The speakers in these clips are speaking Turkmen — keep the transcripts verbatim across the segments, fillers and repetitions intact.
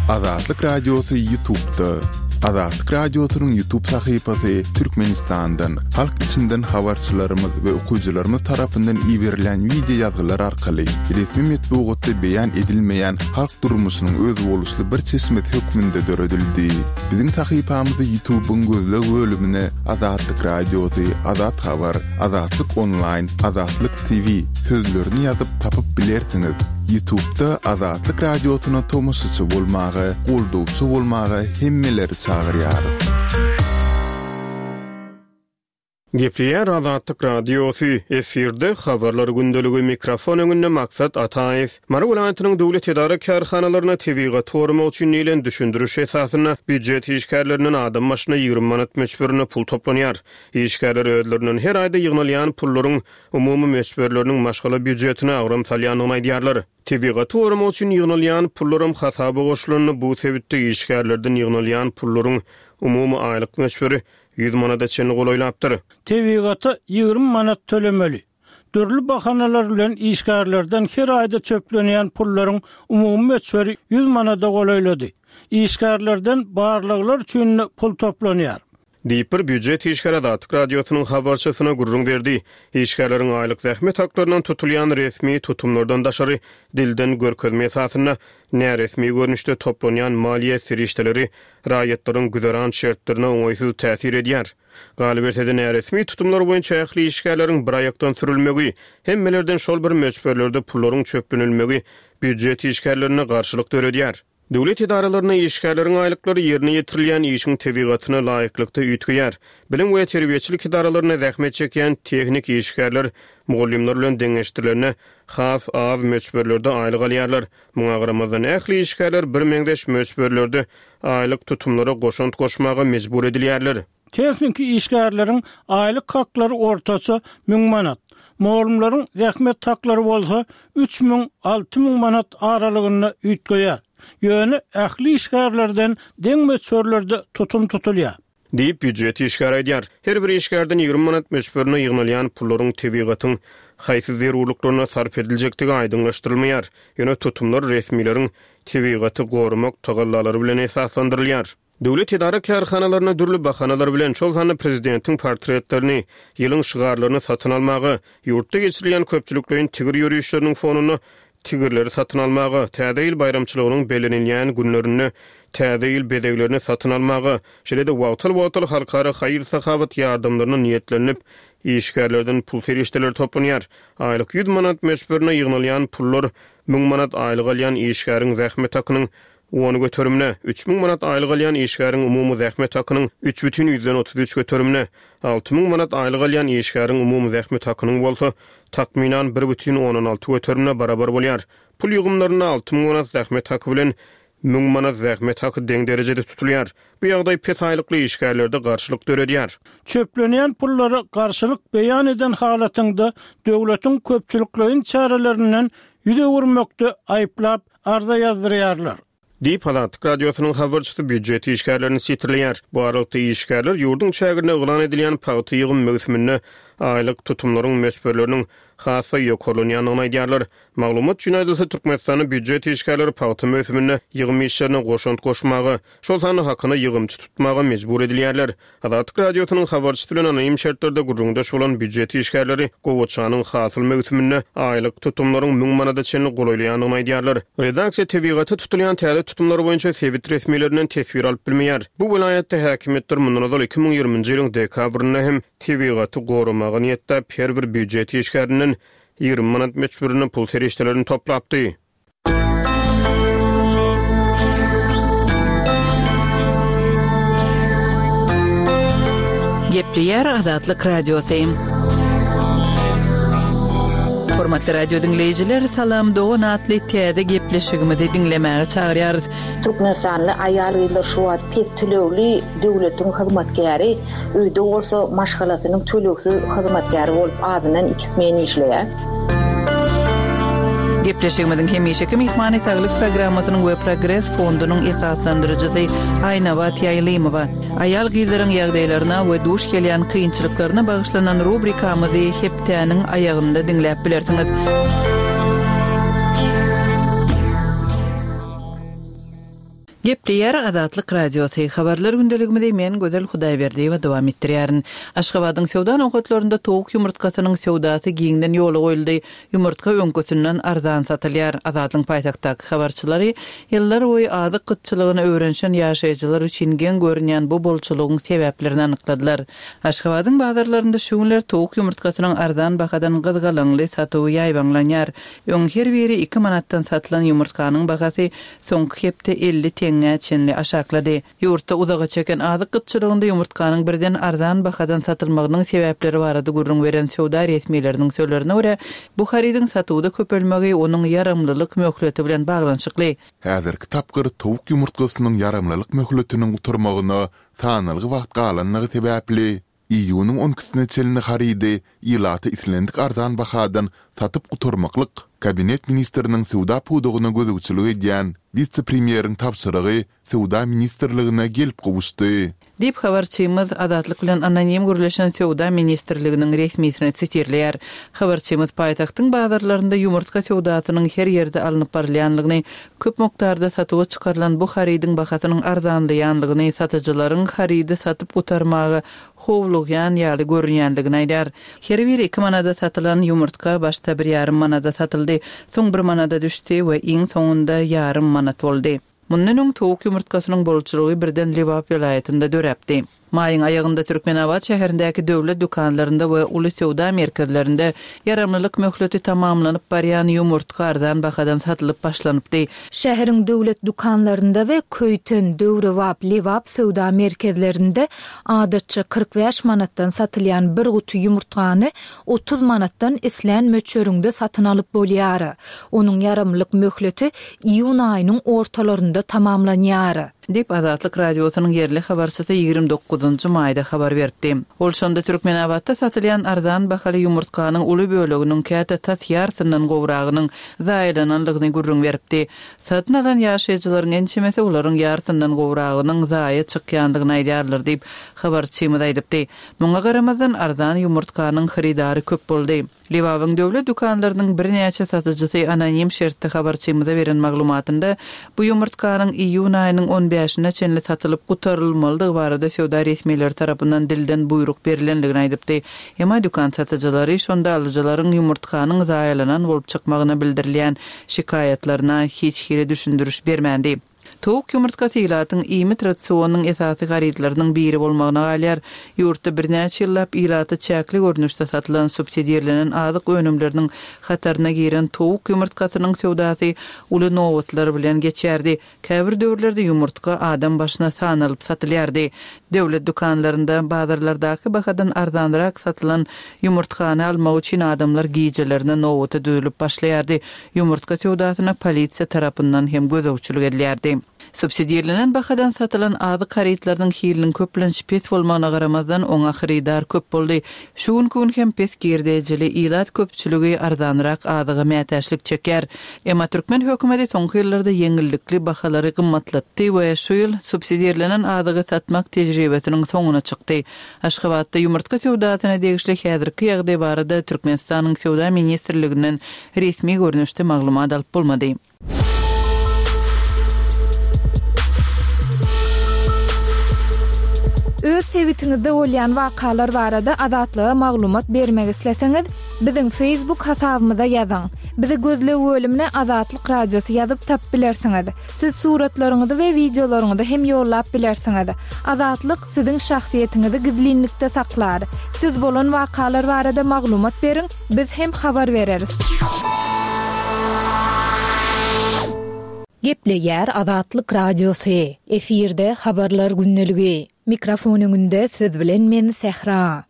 Azatlyk Radiosy YouTube'da. Azatlyk Radiosynyň YouTube sahypasy Türkmenistandan, halk içinden habarçylarymyz we okyjylarymyz tarapyndan iberilen wideo ýazgylar arkaly resmi metbugatda beýan edilmeýän halk durmuşynyň özboluşly bir çeşmesi hökmünde döredildi. Biziň sahypamyzy YouTube'yň gözleg bölümine Azatlyk Radiosy, Azat Habar, Azatlyk Online, Azatlyk T V sözlerini ýazyp tapyp bilersiňiz. YouTube'da Azatlyk Radiosyna tomaşaçy bolmaga, goldawçy bolmaga hemmeleri çagyrýarys. Gepleýär Azatlyk Radiosy, efirde habarlar gündeligi, mikrofon öňünde Maksat Ataýew. Mary welaýatynyň döwlet edara kärhanalaryna tebigaty goramak üçin diýlen düşündiriş esasynda býujet işgärlerinden adam başyna ýigrimi manat möçberinde pul toplanýar. Işgärler özlerinden her aýda ýygnalýan pullaryň umumy möçberleriniň maşgala býujetine agram salýandygyny aýdýarlar. Tebigaty goramak üçin ýygnalýan pullaram hasaba goşulanda bu sebitde işgärlerden ýygnalýan pullaryň umumy aýlyk möçberi ýüz manada çenli golaýlapdyr. Tebigata ýigrimi manat tölemeli. Dürli bahanalar bilen işgärlerden her aýda çöplenýän pullaryň umumy möçberi ýüz manada golaýlady. Işgärlerden barlyklar üçin pul toplanýar. Diýip bir býujet işgäri Azatlyk Radiosynyň habarçysyna gürrüň berdi. Işgärleriň aýlyk zähmet haklaryndan tutulýan resmi tutumlardan daşary dilden görkezme esasynda näresmi görnüşde toplanýan maliýe serişdeleri raýatlaryň güzeran şertlerine oňaýsyz täsir edýär. Galyberse-de näresmi tutumlar boýunça ähli işgärleriň bir aýakdan sürülmegi, hemmelerden şol bir möçberlerde pullaryň çöplenilmegi býujet işgärlerine garşylyk döredýär. Döwlet edaralaryna işgärleriň aýlyklary ýerine ýetirilýän işiň tebigatyna laýyklykda üýtgeýär. Bilim we terbiýeçilik edaralarynda zähmet çekýän tehnik işgärler mugallymlar bilen deňeşdirilende has az möçberlerde aýlyk alýarlar. Muňa garamazdan ähli işgärler bir meňzeş möçberlerde aýlyk tutumlara goşant goşmaga mejbur edilýärler. Tehniki işgärleriň aýlyk haklary ortaça müň manat, mugallymlaryň zähmet haklary bolsa üç müň alty müň manat aralygynda üýtgeýär. Ýöne ähli işgärlerden deň möçberlerde tutum tutulýar. Diýip býujet işgäri aýdýar. Her bir işgärden ýigrimi manat möçberine ýygnalýan pullaryň tebigatyň haýsy zerurlyklaryna sarp ediljekdigi aýdyňlaşdyrylmaýar. Ýöne tutumlar resmileriň tebigaty goramak tagallalary bilen esaslandyrylýar. Döwlet edara kärhanalaryna dürli bahanalar bilen şol sanda prezidentiň portretlerini, ýylyň şygarlaryny satyn almaga, ýurtda geçirilýän köpçülikleýin tigir ýörişleriniň fonunda tigirleri satyn almaga, täze ýyl baýramçylygynyň bellenilýän günlerinde täze ýyl bezeglerini satyn almaga, şeýle-de wagtal-wagtal halkara haýyr-sahawat ýardamlaryna niýetlenip, işgärlerden pul serişdeleri toplanýar. Aýlyk ýüz manat möçberine ýygnalýan pullar müň manat aýlyk alýan işgäriň zähmet hakynyň on göterimine, üç müň manat aýlyk alýan işgäriň umumy zähmet hakynyň üç bütin ýüzden otuz üç göterimine, alty müň manat aýlyk alýan işgäriň umumy zähmet hakynyň bolsa takmynan bir bütin ondan alty göterimine barabar bolýar. Pul ýygymlarynda alty müň manat zähmet haky bilen müň manat zähmet haky deň derejede tutulýar. Bu ýagdaý pes aýlykly işgärlerde garşylyk döredýär. Çöplenýän pullara garşylyk beýan eden halatynda döwletiň köpçülikleýin çärelerinden ýüz öwürmekde aýyplap arza ýazdyrýarlar. Diýip Azatlyk Radiosynyň habarçysy býujet işgärlerini sitirleýär. Bu aralykda işgärler ýurduň çäginde yglan edilýän pagta ýygym möwsüminde aýlyk tutumlaryň möçberleriniň has-da ýokarlanýandygyny aýdýarlar. Maglumat üçin aýdylsa, Türkmenistanda býujet işgärleri pagta möwsüminde ýygym işlerine goşant goşmaga, şol sanda hakyna ýygymçy tutmaga mejbur edilýärler. Azatlyk Radiosynyň habarçysy bilen anonim şertlerde gürrüňdeş bolan býujet işgärleri gowaçanyň hasyl möwsüminde aýlyk tutumlaryň müň manada çenli golaýlaýandygyny aýdýarlar. Redaksiýa tebigata tutulýan täze tutumlar boýunça sebit resmilerinden teswir alyp bilmeýär. Bu welaýatda häkimiýetler mundan ozal iki müň ýigriminji ýylyň dekabrynda hem tebigaty goramaga niýetläp her bir býujet işgärinden ýigrimi manat möçberinde pul serişdelerini toplapdy. Gepleýär Azatlyk Radiosy. Hormatly radio dinleýjiler, Salam Dogan atly täze gepleşigimizi diňlemäge çagyrýarys. Türkmenistanly aýal-gyzlar şu wagt pes tölegli döwletiň hyzmatkäri, öýde bolsa maşgalasynyň tölegsiz hyzmatkäri bolup azyndan iki smen işleýär. Gepleşigimiziň hemişeki myhmany Saglyk programmasynyň we Progres fondunyň esaslandyryjysy Aýnabat Ýaýlymowa. Aýal-gyzlaryň ýagdaýlaryna we duş gelýän kynçylyklaryna bagyşlanan rubrikamyzy hepdäniň aýagynda diňläp bilersiňiz. Gepleýär Azatlyk Radiosy. Habarlar gündeligimizi men Gözel Hudaýberdiýewa dowam etdirýärin. Aşgabadyň söwda nokatlarynda towuk ýumurtgasynyň söwdasy giňden ýola goýuldy. Ýumurtga öňküsinden arzan satylýar. Azatlygyň paýtagtdaky habarçylary ýyllar boýy azyk gytçylygyna öwrenişen ýaşaýjylar üçin geň görünýän bu bolçulygyň sebäplerini anykladylar. Aşgabadyň bazarlarynda şu günler towuk ýumurtgasynyň arzan bahadan gyzgalaňly satuwy ýaýbaňlanýar. Öň her biri iki manatdan satylan ýumurtganyň bahasy soňky hepde elli teňňä çenli aşaklady. Ýurtda uzaga çeken azyk gytçylygynda ýumurtganyň birden arzan bahadan satylmagynyň sebäpleri barada gürrüň beren söwda resmileriniň sözlerine görä, bu harydyň satuwda köpelmegi onuň ýaramlylyk möhleti bilen baglanyşykly. Häzirki tapgyr towuk ýumurtgasynyň ýaramlylyk möhletiniň gutarmagyna sanalgy wagt galanlygy sebäpli, iýunyň on ikisine çenli harydy ilata islendik arzan bahadan satyp gutarmaklyk Kabinet ministriniň söwda pudagyna gözegçilik edýän wise-premýeriň tabşyrygy Söwda ministrligine gelip gowuşdy. Diýip habarçymyz Azatlyk bilen anonim gürleşen Söwda ministrliginiň resmisini sitirleýär. Habarçymyz paýtagtyň bazarlarynda ýumurtga söwdasynyň her ýerde alnyp barylýanlygyny, köp mukdarda satuwa çykarylan bu harydyň bahasynyň arzanlaýanlygyny, satyjylaryň harydy satyp gutarmaga howlugýan ýaly görünýänligini aýdar. Her biri iki manada satylan ýumurtga başda bir ýarym manada satyldy, soň bir manada düşdi we iň soňunda ýarym manat boldy. Mundan öň towuk ýumurtgasynyň bolçulygy birden Lebap welaýatynda döräpdi. Maýyň aýagynda Türkmenabat şäherindäki döwlet dükanlarynda we uly söwda merkezlerinde ýaramlylyk möhleti tamamlanyp barýan ýumurtga arzan bahadan satylyp başlanypdy. Şäheriň döwlet dükanlarynda we Köýten, Döwrebap, Lebap söwda merkezlerinde adatça kyrk bäş manatdan satylýan bir guty ýumurtgany otuz manatdan islän möçberinde satyn alyp bolýar. Onuň ýaramlylyk möhleti iýun aýynyň ortalarynda tamamlanýar. Diýip Azatlyk Radiosynyň ýerli habarçysy ýigrimi dokuzynjy maýda habar beripdi. Ol şonda Türkmenabatda satylýan arzan bahaly ýumurtganyň uly böleginiň käte tas ýarysyndan gowragynyň zaýalananlygyny gürrüň beripdi. Satyn alan ýaşaýjylaryň ençemesi olaryň ýarysyndan gowragynyň zaýa çykýanlygyny aýdýarlar diýip habarçymyz aýdypdy. Muňa garamazdan arzan ýumurtganyň hyrydary köp boldy. Lebabyň döwlet dükanlarynyň birnäçe satyjysy anonim şertde habarçymyza beren maglumatynda bu ýumurtganyň iýun aýynyň on bäşine çenli satylyp gutarylmalydygy barada söwda resmileri tarapyndan dilden buýruk berilenligini aýdypdy. Emma dükan satyjylary şonda alyjylaryň ýumurtganyň zaýalanan bolup çykmagyna bildirilýän şikaýatlaryna hiç hili düşündiriş bermändi. Towuk ýumurtgasy ilatyň iýmit rasionynyň esasy harytlarynyň biri bolmagyna galýar. Ýurtda birnäçe ýyllap ilata çäkli görnüşde satylan subsidirlenen azyk önümleriniň hataryna giren towuk ýumurtgasynyň söwdasy uly nobatlar bilen geçýärdi. Käbir döwürlerde ýumurtga adam başyna sanalyp satylýardy. Döwlet dükanlarynda bazarlardaky bahadan arzanrak satylan ýumurtgany almak üçin adamlar gijelerine nobata düzülip başlaýardy. Ýumurtga söwdasyna polisiýa tarapyndan hem gözegçilik edilýärdi. Subsidirlenen bahadan satylan azyk harytlarynyň hiliniň köplenç pes bolmagyna garamazdan oňa hyrydar köp boldy. Şu günki gün hem pes girdejili ilat köpçüligi arzanrak azyga mätäçlik çeker. Emma türkmen hökümeti soňky ýyllarda ýeňillikli bahalary gymmatlatdy we şu ýyl subsidirlenen azygy satmak tejribesiniň soňuna çykdy. Aşgabatda ýumurtga söwdasyna degişli häzirki ýagdaý barada Türkmenistanyň Söwda ministrliginden resmi görnüşde maglumat alyp bolmady. Öz sebitiňizde bolýan wakalar barada Azatlyga maglumat bermek isleseňiz, biziň Facebook hasabymyza ýazyň. Bizi gözleg bölümine Azatlyk Radiosy ýazyp tap bilersiňiz. Siz suratlaryňyzy we wideolaryňyzy hem ýollap bilersiňiz. Azatlyk siziň şahsyýetiňizi gizlinlikde saklar. Siz bolan wakalar barada maglumat beriň, biz hem habar bereris. Gepleýär Azatlyk Radiosy. Efirde habarlar gündeligi. Mikrofon öňünde siz bilen men Sähra.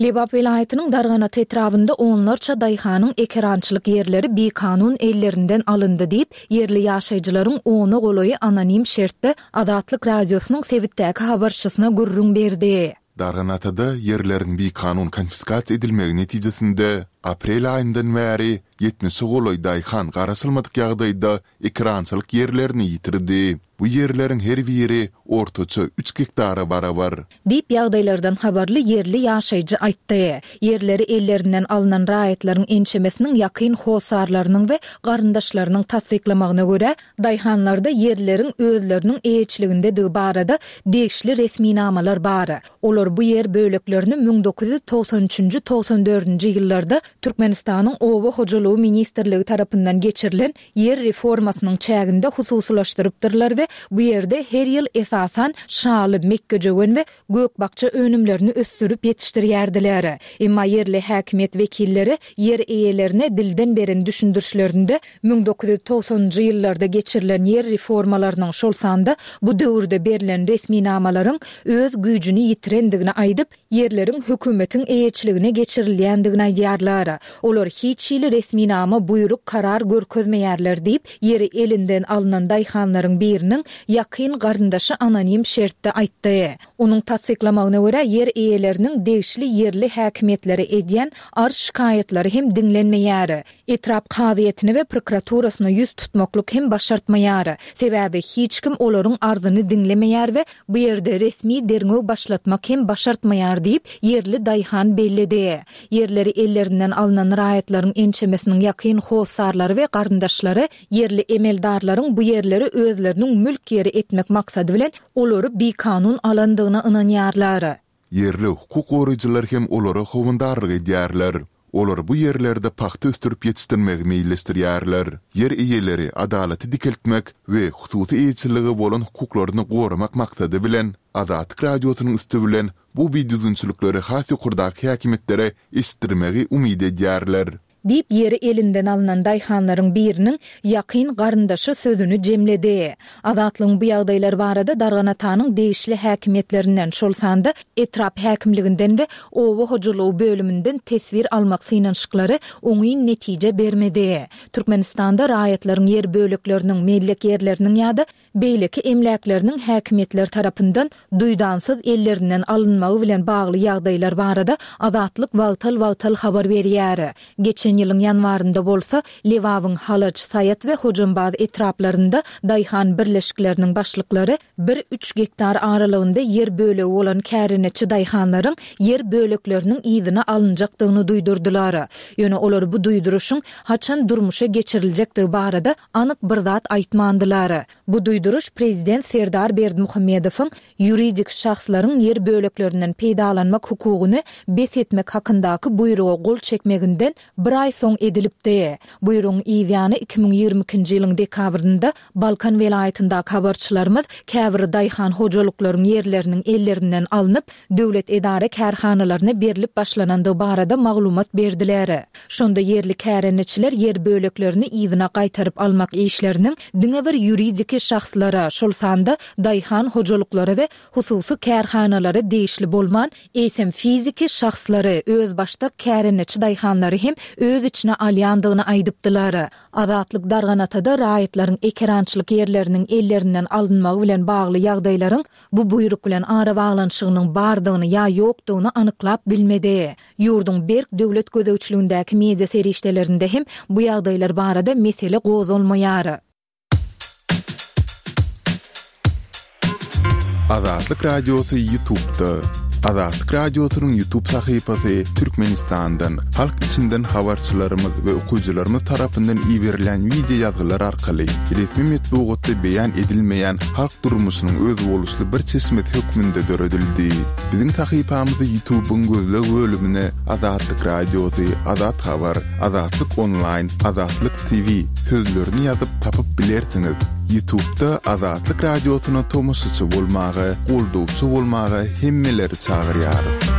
Lebap welaýatynyň Darganat etrabynda onlarça daýhanyň ekerançylyk ýerleri bikanun ellerinden alyndy diýip, ýerli ýaşaýjylaryň ona golaýy anonim şertde Azatlyk Radiosynyň sebitdäki habarçysyna gürrüň berdi. Darganatada ýerleriň bikanun konfiskasiýa edilmegi netijesinde Aprel aýyndan bäri ýetmişe golaý daýhan garaşylmadyk ýagdaýda ekerançylyk ýerlerini ýitirdi. Bu ýerleriň her biri ortaça üç gektara barabar. Diýip, ýagdaýlardan habarly ýerli ýaşaýjy aýtdy. Ýerleri ellerinden alnan raýatlaryň ençemesiniň ýakyn hossarlarynyň we garyndaşlarynyň tassyklamagyna görä, daýhanlarda ýerleriň özleriniň eýeçiligindedigi barada degişli resminamalar bar. Olar bu ýer böleklerini müň dokuz ýüz togsan üçünji, togsan dördünji ýyllarda Türkmenistanyň Oba hojalygy ministrligi tarapyndan geçirilen ýer reformasynyň çäginde hususylaşdyrypdyrlar we bu ýerde her ýyl esasan şaly, mekgejöwen we gök-bakja önümlerini ösdürip ýetişdirýärdiler. Emma ýerli häkimiýet wekilleri ýer eýelerine dilden beren düşündirişlerinde müň dokuz ýüz togsanynjy ýyllarda geçirilen ýer reformalarynyň, şol sanda bu döwürde berlen resminamalaryň öz güýjüni ýitirendigini aýdyp, ýerleriň hökümetiň eýeçiligine geçirilýändigini aýdýarlar. Olar hiç hili resminama, buýruk, karar görkezmeýärler diýip, ýeri elinden alnan daýhanlaryň biriniň ýakyn garyndaşy anonim şertde aýtdy. Onuň tassyklamagyna görä, ýer eýeleriniň degişli ýerli häkimiýetlere edýän arz-şikaýatlary hem diňlenmeýär. Etrap kazyýetine we prokuraturasyna ýüz tutmaklyk hem başartmaýar. Sebäbi hiç kim olaryň arzyny diňlemeýär we bu ýerde resmi derňew başlatmak hem başartmaýar diýip, ýerli daýhan belledi. Ýerleri ellerinden alnan raýatlaryň ençemesiniň ýakyn hossarlary we garyndaşlary ýerli emeldarlaryň bu ýerleri özleriniň mülk ýeri etmek maksady bilen olary bikanun alandygyna ynanýarlar. Ýerli hukuk goraýjylar hem olara howandarlyk edýärler. Olar bu ýerlerde pagta ösdürip ýetişdirmegi meýilleşdirýärler. Ýer eýeleri adalaty dikeltmek we hususy eýeçiligi bolan hukuklaryny goramak maksady bilen Azatlyk Radiosynyň üsti bilen bu bidüzgünçilikleri has ýokardaky häkimiýetlere eşitdirmegi umyt edýärler. Diýip, ýeri elinden alnan daýhanlaryň biriniň ýakyn garyndaşy sözüni jemledi. Azatlygyň bu ýagdaýlar barada Darganatanyň degişli häkimiýetlerinden, şol sanda etrap häkimliginden we oba hojalygy bölüminden teswir almak synanyşyklary oňyn netije bermedi. Türkmenistanda raýatlaryň ýer bölekleriniň, mellek ýerleriniň ýa-da beýleki emläkleriniň häkimiýetler tarapyndan duýdansyz ellerinden alynmagy bilen bagly ýagdaýlar barada Azatlyk wagtal-wagtal habar berýär. Geçen ýylyň ýanwarynda bolsa Lebabyň Halaç, Saýat we Hojambaz etraplarynda daýhan birleşikleriniň başlyklary bir-üç gektar aralygynda ýer bölegi bolan kärendeçi daýhanlaryň ýer bölekleriniň yzyna alynjakdygyny duýdurdylar. Ýöne olar bu duýduryşyň haçan durmuşa geçiriljekdigi barada anyk bir zat aýtmandylar. Bu duýduryş prezident Serdar Berdimuhamedowyň ýuridik şahslaryň ýer böleklerinden peýdalanmak hukugyny bes etmek hakyndaky buýruga gol çekmeginden bir aý soň edilipdi. Buýrugyň yz ýany iki müň ýigrimi ikinji ýylyň dekabrynda Balkan welaýatyndaky habarçylarymyz käbir daýhan hojalyklaryň ýerleriniň ellerinden alnyp, döwlet edara kärhanalaryna berlip başlanandygy barada maglumat berdiler. Şonda ýerli kärendeçiler ýer böleklerini yzyna gaýtaryp almak işleriniň diňe bir ýuridiki şahslara, şol sanda daýhan hojalyklara we hususy kärhanalara degişli bolman, eýsem fiziki şahslary, özbaşdak kärendeçi daýhanlary hem öz içine alýandygyny aýdypdylar. Azatlyk Darganatada raýatlaryň ekerançylyk ýerleriniň ellerinden alynmagy bilen bagly ýagdaýlaryň bu buýruk bilen arabaglanyşygynyň bardygyny ýa ýokdugyny anyklap bilmedi. Ýurduň berk döwlet gözegçiligindäki media serişdelerinde hem bu ýagdaýlar barada mesele gozgalmaýar. Azatlyk Radiosy YouTube'da. Azatlyk Radiosynyň YouTube sahypasy Türkmenistandan, halk içinden habarçylarymyz we okyjylarymyz tarapyndan iberilen wideo ýazgylar arkaly resmi metbugatda beýan edilmeýän halk durmuşynyň özboluşly bir çeşmesi hökmünde döredildi. Biziň sahypamyzy YouTube'yň gözleg bölümine Azatlyk Radiosy, Azat Habar, Azatlyk Onlaýn, Azatlyk T V sözlerini ýazyp tapyp bilersiňiz. YouTube'da Azatlyk Radiosyna tomaşaçy bolmaga, goldawçy bolmaga hemmeleri çagyrýarys.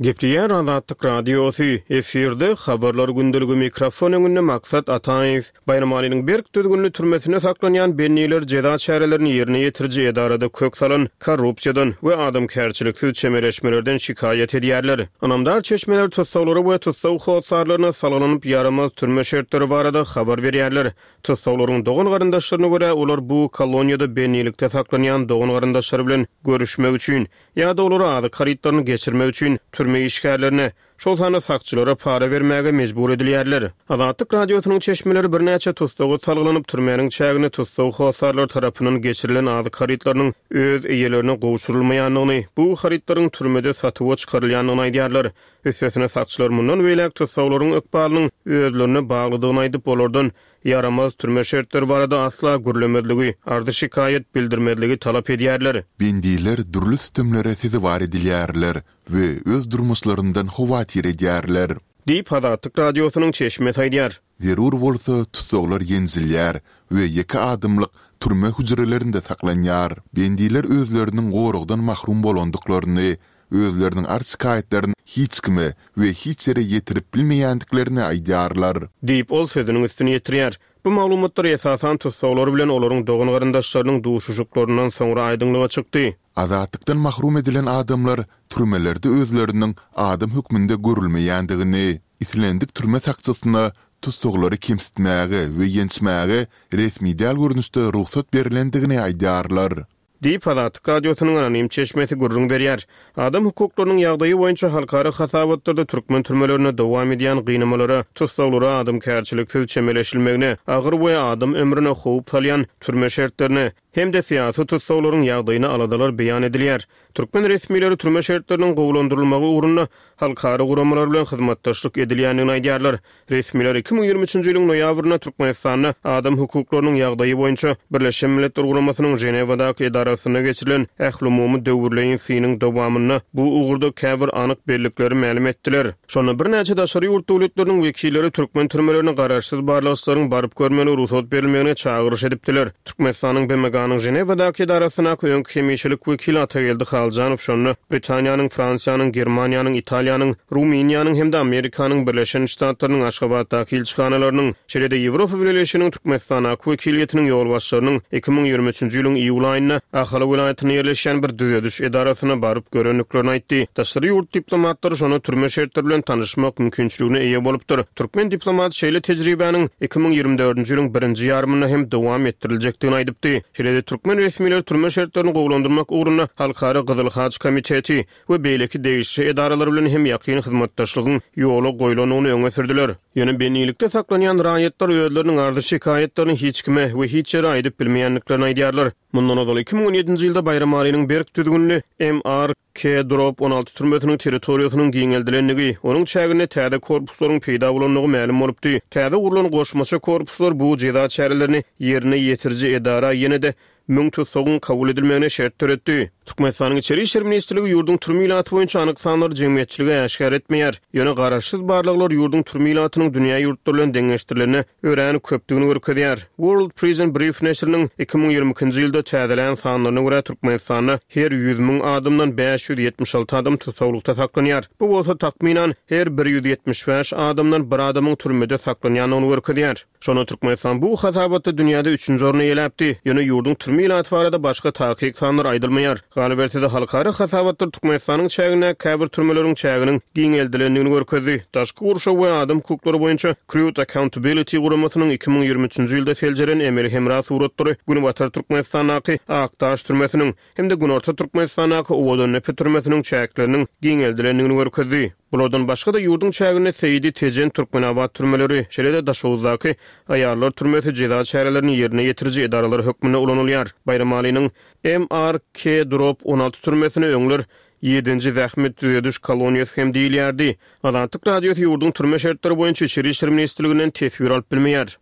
Gepleýär Azatlyk Radiosy, efirde habarlar gündeligi mikrofon öňünde Maksat Ataýew. Baýramalynyň berk düzgünli türmesinde saklanýan bendiler jeza çärelerini ýerine ýetiriji edarada kök salan korrupsiýadan we adamkärçiliksiz çemeleşmelerden şikaýat edýärler. Ynamdar çeşmeler tussaglara we tussag hossarlaryna salgylanyp ýaramaz türme şertleri barada habar berýärler. Tussaglaryň dogan garyndaşlaryna görä olar bu koloniýada bendilikde saklanýan dogan garyndaşlary bilen görüşmek üçin ýa-da olara azyk harytlaryny geçirmek üçin türme türme işgärlerine, şol sanda sakçylara para bermäge mejbur edilýärler. Azatlyk Radiosynyň çeşmeleri birnäçe tussaga salgylanyp, türmäniň çägine tussag hossarlar tarapyndan geçirilen azyk harytlarynyň öz eýelerine gowşurylmaýandygyny, bu harytlaryň türmede satuwa çykarylýandygyny aýdýarlar. Üstesine sakçylar mundan beýläk tussaglaryň ykbalynyň özlerine baglydygyny aýdyp, olardan ýaramaz türme şertleri barada asla gürlemezligi, arzy-şikaýat bildirmezligi talap edýärler. Bendiler dürli sütemlere sezewar edilýärler we öz durmuşlaryndan howatyr edýärler. Diýip, Azatlyk Radiosynyň çeşmesi aýdýar. Zerur bolsa, tussaglar ýenjilýär we ýeke adamlyk türme hüjrelerinde saklanýar. Bendiler özleriniň goragdan mahrum bolandyklaryny, özleriniň arz-şikaýatlaryny hiç kime we hiç ýere ýetirip bilmeýändiklerini aýdýarlar. Diýip, ol sözüniň üstüni ýetirýär. Bu maglumatlar esasan tussaglar bilen olaryň dogan-garyndaşlarynyň duşuşyklaryndan soňra aýdyňlyga çykdy. Azatlykdan mahrum edilen adamlar türmelerde özleriniň adam hökmünde görülmeýändigini, islendik türme sakçysyna tussaglary kemsitmäge we ýençmäge resmi däl görnüşde rugsat berlendigini aýdýarlar. Diýip, Azatlyk Radiosynyň anonim çeşmesi gürrüň berýär. Adam hukuklarynyň ýagdaýy boýunça halkara hasabatlarda türkmen türmelerinde dowam edýän gynamalara, tussaglara adamkärçiliksiz çemeleşilmegine, agyr we adam ömrüne howp salýan türme şertlerine hem-de syýasy tussaglaryň ýagdaýyna aladalar beýan edilýär. Türkmen resmileri türme şertleriniň gowulandyrylmagy ugrunda halkara guramalar bilen hyzmatdaşlyk edilýändigini aýdýarlar. Resmiler iki müň ýigrimi üçünji ýylyň noýabrynda Türkmenistanda adam hukuklarynyň ýagdaýy boýunça Birleşen Milletler Guramasynyň Ženewadaky edarasynda geçirilen ählumumy döwürleýin synyň dowamynda bu ugurda käbir anyk bellikleri mälim etdiler. Şonda birnäçe daşary ýurt döwletleriniň wekilleri türkmen türmelerine garaşsyz barlagçylaryň baryp görmegine rugsat berilmegine çagyryş edipdiler. Türkmenistanyň B M G-nyň Ženewadaky edarasyndaky öňki hemişelik wekili Atageldi Haljanow şonda Britaniýanyň, Fransiýanyň, Germaniýanyň, Italiýanyň, Rumyniýanyň hem-de Amerikanyň Birleşen Ştatlarynyň Aşgabatdaky ilçihanalarynyň, şeýle-de Ýewropa Bileleşiginiň Türkmenistandaky wekiliýetiniň ýolbaşçylarynyň iki müň ýigrimi üçünji ýylyň iýul aýynda Ahal welaýatynda ýerleşýän bir düzediş edarasyna baryp görendiklerini aýtdy. Daşary ýurt diplomatlary şonda türme şertleri bilen tanyşmak mümkinçiligine eýe bolupdyr. Türkmen diplomat şeýle tejribäniň iki müň ýigrimi dördünji ýylyň birinji ýarymynda hem dowam etdiriljekdigini aýdypdy. Şeýle-de türkmen resmileri türme şertlerini gowulandyrmak ugrunda Halkara Gyzyl Haç Komiteti we beýleki degişli edaralar bilen hem ýakyn hyzmatdaşlygyň ýola goýlandygyny öňe sürdüler. Ýöne bendilikde saklanýan raýatlar özleriniň arzy-şikaýatlaryny hiç kime we hiç ýere aýdyp bilmeýändiklerini aýdýarlar. Mundan ozal iki müň on ýedinji ýylda Baýramalynyň berk düzgünli M R K drop on alty türmesiniň territoriýasynyň giňeldilendigi, onuň çäginde täze korpuslaryň peýda bolandygy mälim bolupdy. Täze gurlan goşmaça korpuslar bu jeza çärelerini ýerine ýetiriji edara ýene-de müň tussagyň kabul edilmegine şert döretdi. Türkmenistanyň Içeri işler ministrligi ýurduň türme ilaty boýunça anyk sanlary jemgyýetçilige äşgär etmeýär. Ýöne garaşsyz barlaglar ýurduň türme ilatynyň dünýä ýurtlary bilen deňeşdirilende örän köpdügini görkezýär. World Prison Brief neşiriniň iki müň ýigrimi ikinji ýylda täzelän sanlaryna görä Türkmenistanda her ýüz müň adamdan bäş ýüz ýetmiş alty adam tussaglykda saklanýar. Bu bolsa takmynan her bir ýüz ýetmiş bäş adamdan bir adamyň türmede saklanýandygyny görkezýär. Şonda Türkmenistan bu hasabatda dünýäde üçünji orny eýeläpdi. Ýöne ýurduň türme ilaty barada başga takyk sanlar aýdylmaýar. Galyberse-de halkara hasabatlar Türkmenistanyň çäginde käbir türmeleriň çäginiň giňeldilendigini görkezdi. Daşky gurşaw we adam hukuklary boýunça Crude Accountability guramasynyň iki müň ýigrimi üçünji ýylda seljeren emeli hemra suratlary Günbatar Türkmenistandaky Akdaş türmesiniň hem-de Günorta Türkmenistandaky Owadandepe türmesiniň çäkleriniň giňeldilendigini görkezdi. Bulardan başga-da ýurduň çäginde Seýdi, Tejen, Türkmenabat türmeleri, şeýle-de Daşoguzdaky aýallar türmesi jeza çärelerini ýerine ýetiriji edaralar hökmünde ulanylýar. Baýramalynyň M R K drop on alty türmesine öňler ýedinji zähmet düzediş koloniýasy hem diýilýärdi. Azatlyk Radiosy ýurduň türme şertleri boýunça Içeri işler ministrliginden teswir alyp bilmeýär.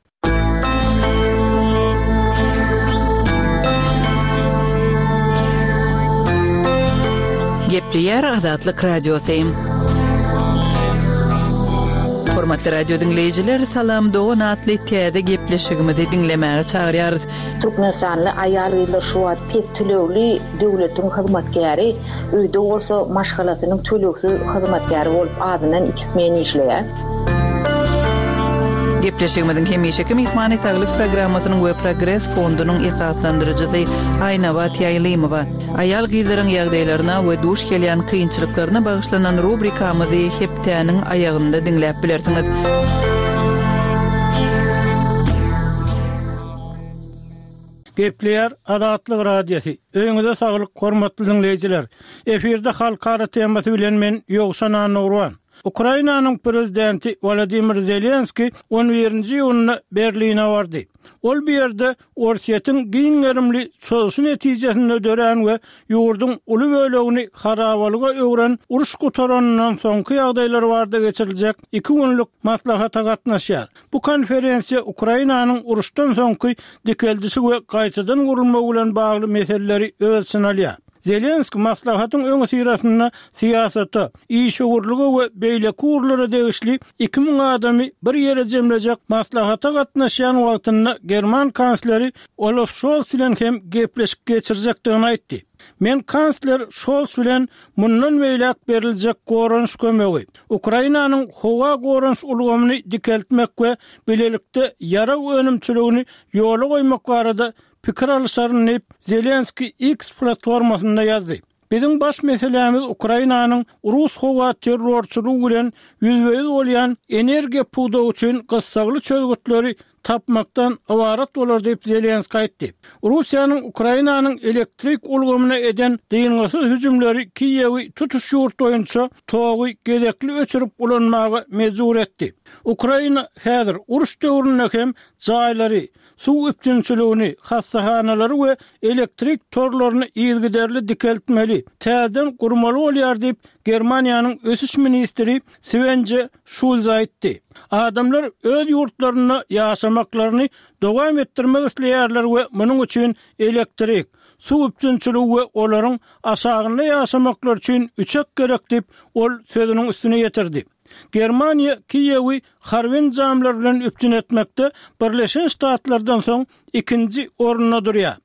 Gepleýär Azatlyk Radiosy. Hormatly radio diňleýjiler, Salam Dogan atly täze gepleşigimizi diňlemäge çagyrýarys. Türkmenistanly aýal-gyzlar şu wagt pes tölegli döwletiň hyzmatkäri, öýde bolsa maşgalasynyň tölegsiz hyzmatkäri bolup azyndan iki smen işleýär. Gepleşigimiziň hemişeki myhmany Saglyk programmasynyň we Progres fondunyň esaslandyryjysy Aýnabat Ýaýlymowa. Aýal gyzlaryň ýagdaýlaryna we duş gelýän kynçylyklaryna bagyşlanan rubrikamyzy hepdäniň aýagynda diňläp bilersiňiz. Gepleýär Azatlyk Radiosy. Öýüňize saglyk, hormatly diňleýjiler. Efirde halkara temasy bilen men Ýowşan Annagurban. Ukrainanyň prezidenti Wolodymyr Zelenskiý on birinji iýunda Berline bardy. Ol bu ýerde Orsýetiň giň gerimli çozuşy netijesinde dörän we ýurduň uly bölegini harabalyga öwren uruş gutaranyndan soňky ýagdaýlar barada geçiriljek iki günlük maslahata gatnaşýar. Bu konferensiýa Ukrainanyň uruşdan soňky dikeldişi we gaýtadan gurulmagy bilen bagly meseleleri öz içine alýar. Zelenskiý maslahatyň öňüsyrasynda syýasata, işewürlige we beýleki ugurlara degişli iki müň adamy bir ýere jemlejek maslahata gatnaşýan wagtynda german kansleri Olaf Şolz bilen hem gepleşik geçirjekdigini aýtdy. Men kansler Şolz bilen mundan beýläk beriljek goranyş kömegi, Ukrainanyň howa goranyş ulgamyny dikeltmek we bilelikde ýarag önümçiligini ýola goýmak barada pikir alyşaryn diýip, Zelenskiý X platformasynda ýazdy. Biziň baş meselämiz Ukrainanyň rus howa terrorçylygy bilen ýüzbe-ýüz bolýan energiýa pudagy üçin gyssagly çözgütleri tapmakdan ybarat bolar diýip, Zelenskiý aýtdy. Russiýanyň Ukrainanyň elektrik ulgamyna eden dyngysyz hüjümleri Kiýewi tutuş ýurt boýunça togy gezekli öçürip ulanmaga mejbur etdi. Ukraina häzir uruş döwründe hem jaýlary, suw üpjünçiligini, hassahanalary we elektrik torlaryny yzygiderli dikeltmeli, täzeden gurmaly bolýar diýip, Germaniýanyň ösüş ministri Swenje Şulz aýtdy. Adamlar öz ýurtlarynda ýaşamaklaryny dowam etdirmek isleýärler we munuň üçin elektrik, suw üpjünçiligi we olaryň aşagynda ýaşamaklary üçin üçek gerek diýip, ol sözüniň üstüne ýetirdi. Germaniýa Kiýewi harby enjamlar bilen üpjün etmekde Birleşen Ştatlardan soň ikinji orunda durýar.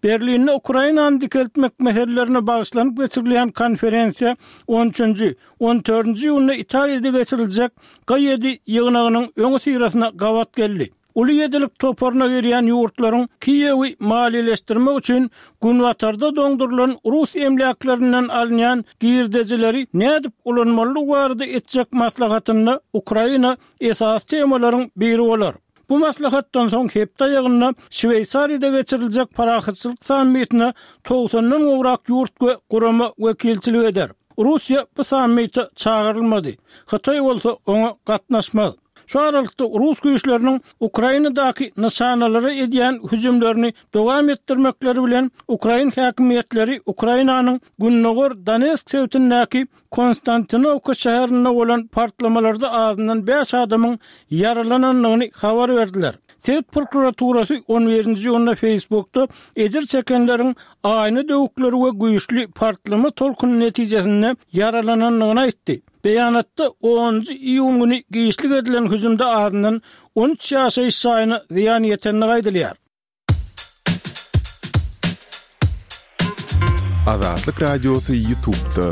Berlinde Ukrainany dikeltmek meselelerine bagyşlanyp geçirilýän konferensiýa on üçünji, on dördünji iýunda Italiýada geçiriljek G ýedi ýygnagynyň öňüsyrasyna gabat geldi. Uly ýedilik toparyna girýän ýurtlaryň Kiýewi maliýeleşdirmek üçin günbatarda doňdurylan rus emläklerinden alynýan girdejileri nädip ulanmalydygy barada etjek maslahatynda Ukraina esasy temalaryň biri bolar. Bu maslahatdan soň hepde aýagynda Şweýsariýada geçiriljek parahatçylyk sammitine togsandan gowrak ýurt we gurama wekilçilik eder. Russiýa bu sammite çagyrylmady. Hytaý bolsa oňa gatnaşmaz. Şu aralykda rus güýçleriniň Ukrainadaky nyşanalara edýän hüjümlerini dowam etdirmekleri bilen ukrain häkimiýetleri Ukrainanyň Gündogar Donetsk sebitindäki Konstantinowka şäherinde bolan partlamalarda azyndan bäş adamyň ýaralanandygyny habar berdiler. Sebit prokuraturasy on birinji iýunda Facebookda ejir çekenleriň aýna döwükleri we güýçli partlama tolkuny netijesinde ýaralanandygyny aýtdy. Beýanatda onunjy iýun güni giçlik edilen hüjümde azyndan on üç ýaşaýyş jaýyna zyýan ýetendigi aýdylýar. Azatlyk Radiosy YouTube'da.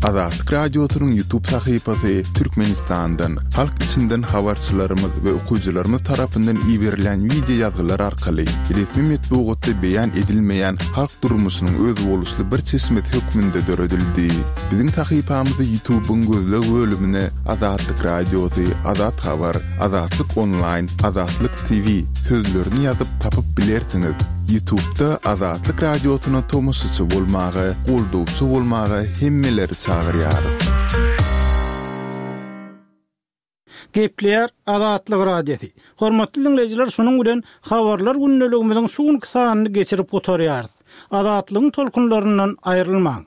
Azatlyk Radiosynyň YouTube sahypasy Türkmenistandan, halk içinden habarçylarymyz we okyjylarymyz tarapyndan iberilen wideo ýazgylar arkaly resmi metbugatda beýan edilmeýän halk durmuşynyň özboluşly bir çeşmesi hökmünde döredildi. Biziň sahypamyzy YouTube'yň gözleg bölümine Azatlyk Radiosy, Azat Habar, Azatlyk Online, Azatlyk T V sözlerini ýazyp tapyp bilersiňiz. YouTube'da Azatlyk Radiosyna tomaşaçy bolmaga, goldawçy bolmaga hemmeleri çagyrýarys. Gepleýär Azatlyk Radiosy. Hormatly dinleýjiler, şunuň bilen habarlar gündeligimiziň şu günki sanyny geçirip gutarýarys. Azatlygyň tolkunlaryndan aýrylmaň.